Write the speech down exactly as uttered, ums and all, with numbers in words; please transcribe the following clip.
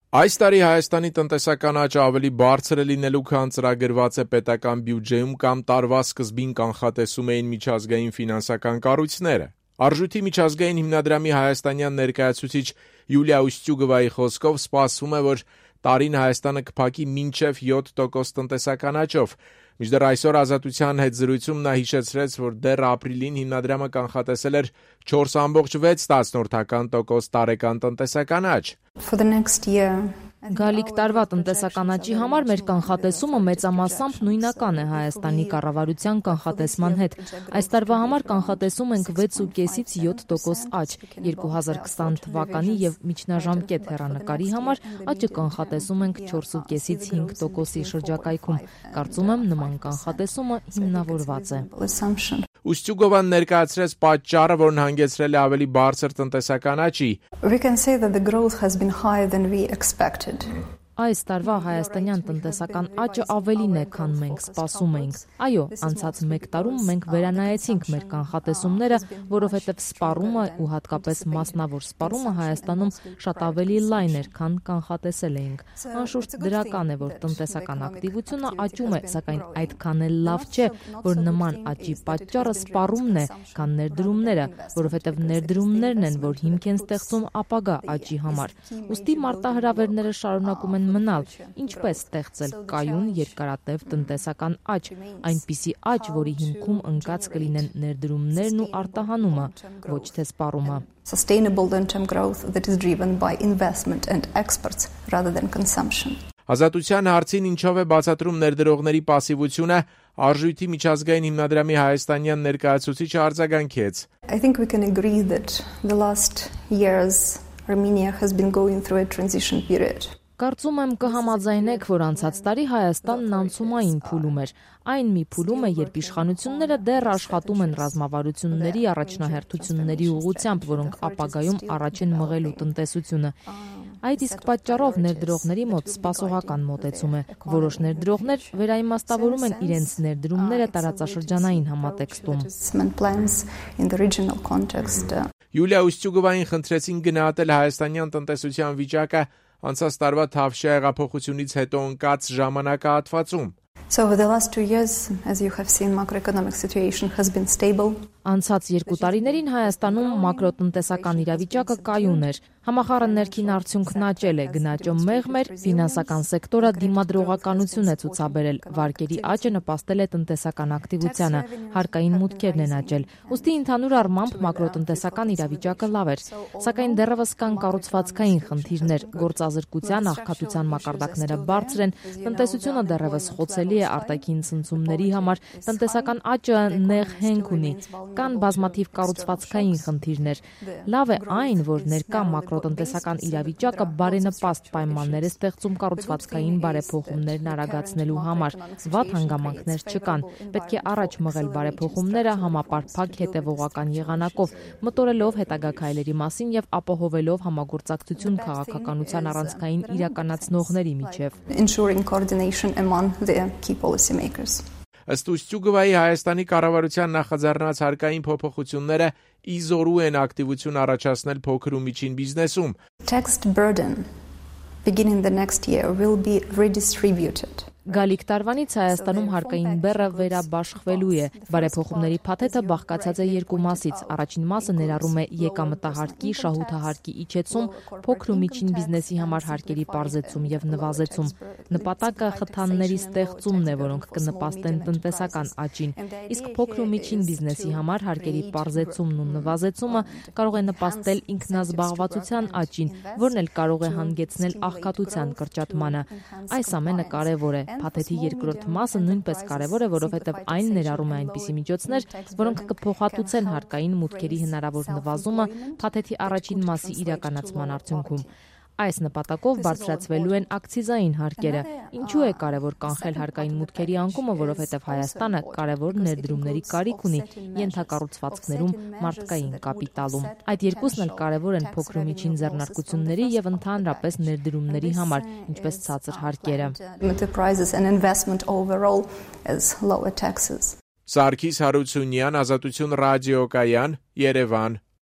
Այս տարի Հայաստանի տնտեսական աճը ավելի բարձր է լինելու, քան ծրագրված է պետական բյուջեում կամ տարվա սկզբին կանխատեսում էին միջազգային ֆինանսական կառույցները։ Արժույթի միջազգային հիմնադրամի հայաստանյան ներկայացուցիչ Յուլիա Ուստյուգովայի խոսքով սպասվում է, որ տարին Հայաստանը կփակի մինչև յոթ տոկոս տնտեսական աճով։ Մինչդեռ այսօր Ազատության հետ զրույցում նա հիշեցրեց, որ դեռ ապրիլին հիմնադրամը կանխատեսել էր չորս կoma վեց տոկոս տարեկան տնտեսական աճ։ Գալիք տարվա տնտեսական աճի համար մեր կանխատեսումը մեծամասամբ նույնական է Հայաստանի կառավարության կանխատեսման հետ։ Այս տարվա համար կանխատեսում ենք վեց կoma պենսից յոթ տոկոս աճ։ երկու հազար քսան թվականի եւ միջնաժամկետ հեռանկարի համար աճը կանխատեսում ենք չորս կoma պենսից հինգ տոկոսի շրջակայքում։ Կարծում եմ նման կանխատեսումը հիմնավորված է։ Ուստյուգովան ներկայացրեց պատճառը, որն հանգեցրել է ավելի բարձր տնտեսական աճի։ Այս տարվա հայաստանյան տնտեսական աճը ավելին է, քան մենք սպասում էինք։ Այո, անցած մեկ տարում մենք վերանայեցինք մեր կանխատեսումները, որովհետև սպառումը ու հատկապես մասնավոր սպառումը Հայաստանում շատ ավելի լայն էր, քան կանխատեսել էինք։ Անշուշտ դրական է, որ տնտեսական ակտիվությունը աճում է, սակայն այդքան էլ լավ չէ, որ նման աճի պատճառը սպառումն է, քան ներդրումները, որովհետև ներդրումներն են, որ հիմք են ստեղծում ապագա աճի համար։ Ուստի մարտահրավերները շարունակում են մնալ, ինչպես ստեղծել կայուն երկարատև տնտեսական աճ, այնպիսի աճ, որի հիմքում ընկած կլինեն ներդրումներն ու արտահանումը, ոչ թե սպառումը։ Ազատության հարցին ինչով է բացատրում ներդրողների պասիվությունը, Արժույթի միջազգային հիմնադրամի հայաստանյան ներկայացուցիչը արձագանքեց։ I think we can agree that the last years Armenia has been going through a transition period. Կարծում եմ կհամաձայնեք, որ անցած տարի Հայաստանն անցումային փուլում էր։ Այն մի փուլում է, երբ իշխանությունները դեռ աշխատում են ռազմավարությունների առաջնահերթությունների ուղղությամբ, որոնք ապագայում առաջ են մղելու տնտեսությունը։ Այդ իսկ պատճառով ներդրողների մոտ սպասողական մոտեցում է։ Որոշ ներդրողներ վերաիմաստավորում են իրենց ներդրումները տարածաշրջանային համատեքստում։ Յուլիա Ուստյուգովային խնդրեցին գնահատել հայաստանյան տնտեսության վիճակը անցած տարվա Թավշյա հեղափոխությունից հետո ընկած ժամանակահատվածում։ So over the last two years, as you have seen, macroeconomic situation has been stable. Անցած երկու տարիներին Հայաստանում մակրոտնտեսական իրավիճակը կայուն էր։ Համախառն ներքին արդյունքն աճել է, գնաճը մեղմ էր, ֆինանսական սեկտորը դիմադրողականություն է ցուցաբերել, վարկերի աճը նպաստել է տնտեսական ակտիվությանը, հարկային մուտքերն են աճել։ Ուստի ընդհանուր առմամբ մակրոտնտեսական իրավիճակը լավ էր, սակայն դեռևս կան կառուցվածքային խնդիրներ, գործազրկության, աղքատության մակարդակները բարձր են, տնտեսությունը դեռևս խոցելի է արտաքին ցնցումների համար, տնտեսական աճը նեղ հենք ունի, կան բազմաթիվ կառուցվածքային խնդիրներ։ Լավ է այն, որ ներկա մակրոտնտեսական իրավիճակը բարենպաստ պայմաններ է ստեղծում կառուցվածքային բարեփոխումներն արագացնելու համար։ Վատ հանգամանքներ չկան։ Պետք է առաջ մղել բարեփոխումները համապարփակ հետևողական եղանակով, մտորելով հետագա քայլերի մասին եւ ապահովելով համագործակցություն քաղաքականության առանցքային իրականացնողների միջև։ Ensuring coordination among the key policymakers. Ըստ Ուստյուգովայի Հայաստանի կառավարության նախաձեռնած հարկային փոփոխությունները ի զորու են ակտիվություն առաջացնել փոքր ու միջին բիզնեսում։ Tax burden beginning the next year will be redistributed. Գալիք տարվանից Հայաստանում հարկային բեռը վերաբաշխվելու է։ Բարեփոխումների փաթեթը բաղկացած է երկու մասից։ Առաջին մասը ներառում է եկամտահարկի, շահութահարկի իջեցում, փոքր ու միջին բիզնեսի համար հարկերի պարզեցում եւ նվազեցում։ Նպատակը խթանների ստեղծումն է, որոնք կնպաստեն տնտեսական աճին։ Իսկ փոքր ու միջին բիզնեսի համար հարկերի պարզեցումն ու նվազեցումը կարող է նպաստել ինքնազբաղվածության աճին, որն էլ կարող է հանգեցնել աղքատության կրճատմանը։ Այս ամենը կարևոր է։ Փաթեթի երկրորդ մասը նույնպես կարևոր է, որովհետև այն ներառում է այնպիսի միջոցներ, որոնք կփոխհատուցեն հարկային մուտքերի հնարավոր նվազումը փաթեթի առաջին մասի իրականացման արդյունքում։ Այս նպատակով բարձրացվելու են ակցիզային հարկերը։ Ինչու է կարևոր կանխել հարկային մուտքերի անկումը, որովհետև Հայաստանը կարևոր ներդրումների կարիք ունի ենթակառուցվածքներում, մարդկային կապիտալում։ Այդ երկուսն էլ կարևոր են փոքր ու միջին ձեռնարկությունների եւ ընդհանրապես ներդրումների համար, ինչպես ցածր հարկերը։ Սարգիս Հարությունյան, Ազատություն ռադիոկայան, Երևան։